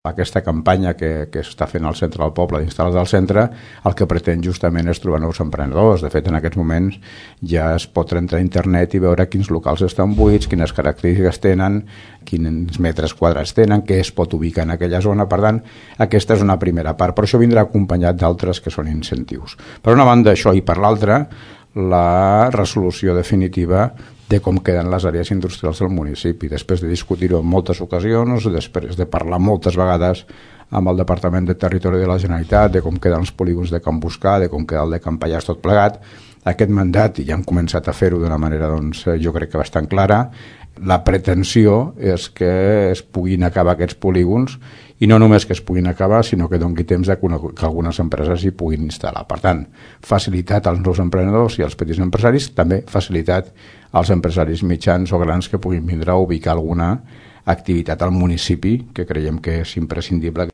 aquesta campanya que està fent al centre del poble d'instal·lar-se al centre, el que pretén justament és trobar nous emprenedors. De fet, en aquests moments ja es pot entrar a internet i veure quins locals estan buits, quines característiques tenen, quins metres quadrats tenen, què es pot ubicar en aquella zona. Per tant, aquesta és una primera part, però això vindrà acompanyat d'altres que són incentius. Per una banda això, i per l'altra la resolució definitiva de com queden les àrees industrials del municipi. Després de discutir-ho en moltes ocasions, després de parlar moltes vegades amb el Departament de Territori de la Generalitat, de com queden els polígons de Can Buscar, de com queda el de Can Pallars, tot plegat, aquest mandat, i ja hem començat a fer-ho d'una manera, doncs, jo crec que bastant clara, la pretensió és que es puguin acabar aquests polígons, i no només que es puguin acabar, sinó que doni temps que algunes empreses hi puguin instal·lar. Per tant, facilitat als nous emprenedors i als petits empresaris, també facilitat als empresaris mitjans o grans que puguin vindre a ubicar alguna activitat al municipi, que creiem que és imprescindible.